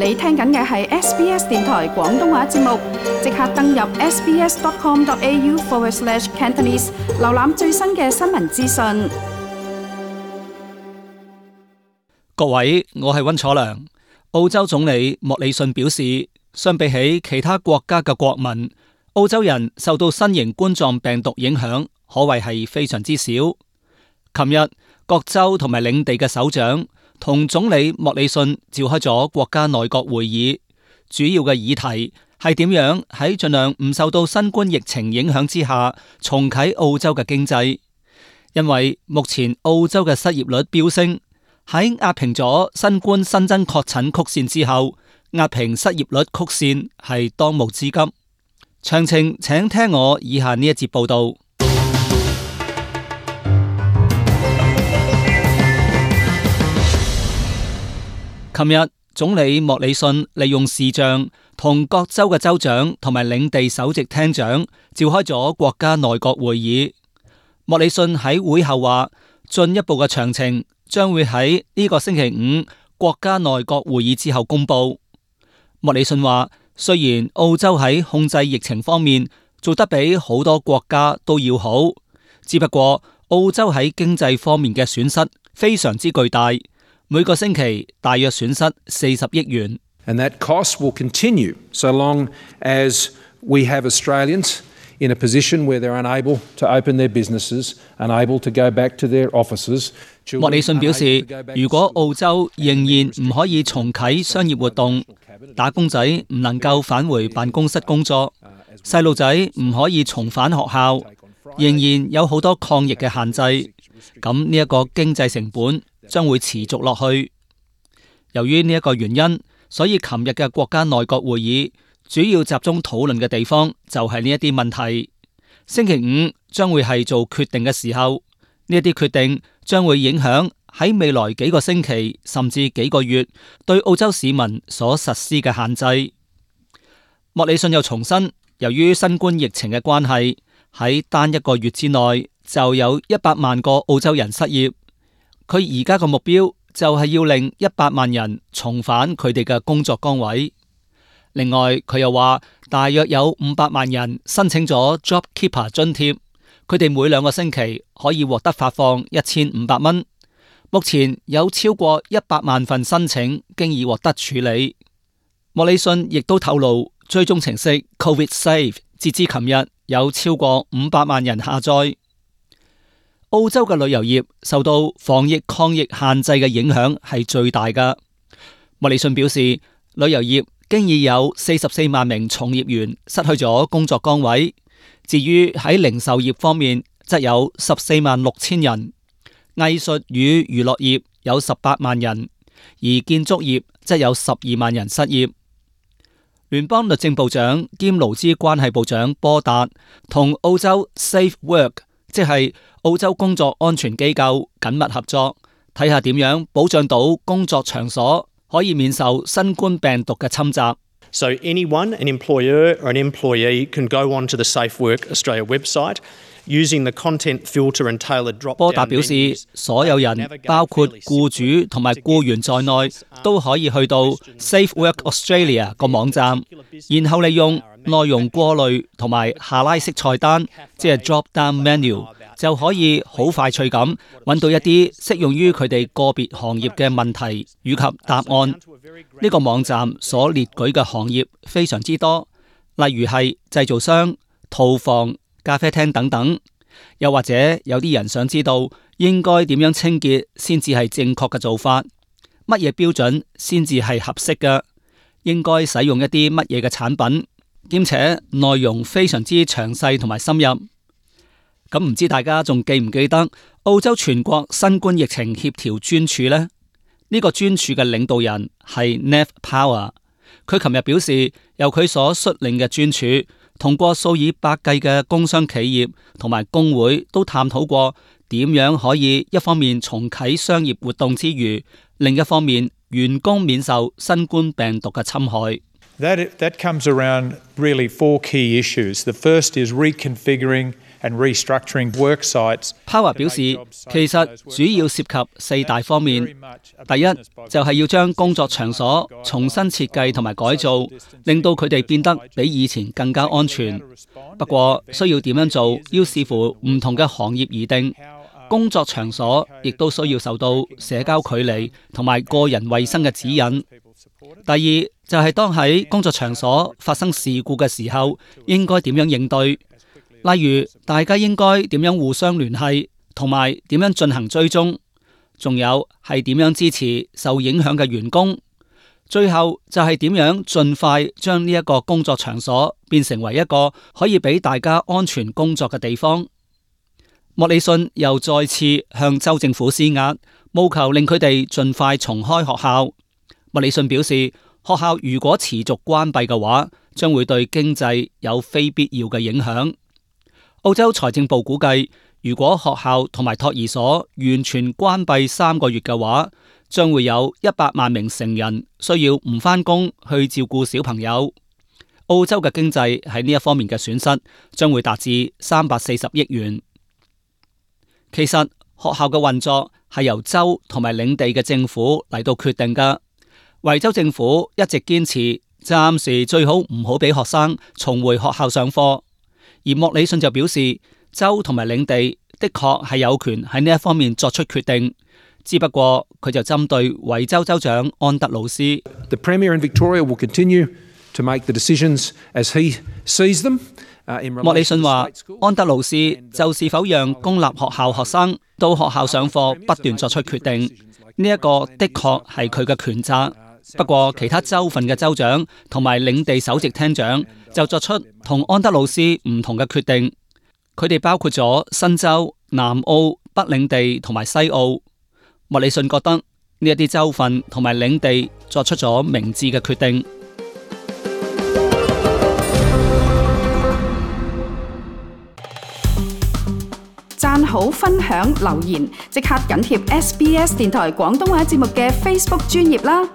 你聽緊嘅係 SBS 電台廣東話節目，即刻登入 sbs.com.au/Cantonese 瀏覽最新嘅新聞資訊。各位，我係溫楚良。澳洲總理莫里遜表示，相比起其他國家嘅國民，澳洲人受到新型冠狀病毒影響可謂係非常之少。琴日，各州同埋領地嘅首長同總理莫里遜召開咗國家內閣會議，主要嘅議題係點樣喺盡量唔受到新冠疫情影響之下重啟澳洲嘅經濟。因為目前澳洲嘅失業率飆升，喺壓平咗新冠新增確診曲線之後，壓平失業率曲線係當務之急。詳情請聽我以下呢一節報道。琴日，總理莫里遜利用視像同各州嘅州長同埋領地首席廳長召開咗國家內閣會議。莫里遜喺會後話，進一步嘅詳情將會喺呢個星期五國家內閣會議之後公布。莫里遜話，雖然澳洲喺控制疫情方面做得比好多國家都要好，只不過澳洲喺經濟方面嘅損失非常之巨大。每個星期大約損失40億元。And that cost will continue so long as we have Australians in a position where they're unable to open their businesses, unable to go back to their offices. 莫里遜表示，如果澳洲仍然唔可以重啟商業活動，打工仔唔能夠返回辦公室工作，細路仔唔可以重返學校，仍然有好多抗疫嘅限制，咁呢一個經濟成本將會持續落去。由於呢一個原因，所以琴日嘅國家內閣會議主要集中討論嘅地方就係呢一啲問題。星期五將會係做決定嘅時候，呢一啲決定將會影響喺未來幾個星期甚至幾個月對澳洲市民所實施嘅限制。莫里遜又重申，由於新冠疫情嘅關係，喺單一個月之內就有100萬個澳洲人失業。佢而家嘅目標就係要令100萬人重返佢哋嘅工作崗位。另外，佢又話大約有500萬人申請咗 JobKeeper 津貼，佢哋每2個星期可以獲得發放1500蚊。目前有超過100萬份申請經已獲得處理。莫里遜亦都透露，追蹤程式 COVID Safe 截至琴日有超過500萬人下載。澳洲嘅旅遊業受到防疫抗疫限制嘅影響係最大㗎。莫里遜表示，旅遊業經已有44萬名從業員失去咗工作崗位。至於喺零售業方面，則有14萬6千人；藝術與娛樂業有18萬人，而建築業則有12萬人失業。聯邦律政部長兼勞資關係部長波達同澳洲 Safe Work， 即係澳洲工作安全機構緊密合作，睇下點樣保障到工作場所可以免受新冠病毒嘅侵襲。So anyone, an employer or an employee, can go onto the Safe Work Australia website using the content filter and tailored drop-down menus. 波達表示，所有人包括僱主同埋僱員在內，都可以去到 Safe Work Australia 個網站，然後利用內容過濾同埋下拉式菜單，即係 drop-down menu，就可以好快脆咁揾到一啲適用於佢哋個別行業嘅問題以及答案。呢個網站所列舉嘅行業非常之多，例如係製造商、屠房、咖啡廳等等。又或者有啲人想知道應該點樣清潔先至係正確嘅做法，乜嘢標準先至係合適嘅，應該使用一啲乜嘢嘅產品，兼且內容非常之詳細同埋深入。咁唔知大家仲記唔記得澳洲全國新冠疫情協調專署呢？呢個專署嘅領導人係 Nev Power， 佢琴日表示，由佢所率領嘅專署同過數以百計嘅工商企業同埋工會都探討過點樣可以一方面重啟商業活動之餘，另一方面員工免受新冠病毒嘅侵害。That comes around really 4 key issues. The first is reconfiguring and restructuring work sites. Power 表示，其實主要涉及4大方面。第一，就係要將工作場所重新設計同埋改造，令到佢哋變得比以前更加安全。不過，需要點樣做，要視乎唔同嘅行業而定。工作場所亦都需要受到社交距離同埋個人衛生嘅指引。第二，就係當喺工作場所發生事故嘅時候，應該點樣應對？例如，大家應該點樣互相聯繫，同埋點樣進行追蹤？仲有係點樣支持受影響嘅員工？最後就係點樣盡快將呢一個工作場所變成為一個可以俾大家安全工作嘅地方。莫里遜又再次向州政府施壓，務求令佢哋盡快重開學校。莫里遜表示，學校如果持續關閉嘅話，將會對經濟有非必要嘅影響。澳洲財政部估計，如果學校同埋托兒所完全關閉3個月嘅話，將會有100萬名成人需要唔返工去照顧小朋友。澳洲嘅經濟喺呢一方面嘅損失將會達至340億元。其實學校嘅運作係由州同埋領地嘅政府嚟到決定㗎。維州政府一直堅持暫時最好唔好俾學生重回學校上課，而莫里遜就表示，州同埋領地的確係有權喺呢一方面作出決定，只不過佢就針對維州州長安德魯斯。The Premier in Victoria will continue to make the decisions as he sees them. 莫里遜話，安德魯斯就是否讓公立學校學生到學校上課不斷作出決定，呢一個的確係佢嘅權責。不過其他州份嘅州長同埋領地首席廳長就作出同安德魯斯唔同嘅決定，佢哋包括咗新州、南澳、北領地同埋西澳。莫里遜覺得呢一啲州份同埋領地作出咗明智嘅決定。讚好、分享、留言，即刻緊貼SBS 電台廣東話節目嘅 Facebook 專頁啦！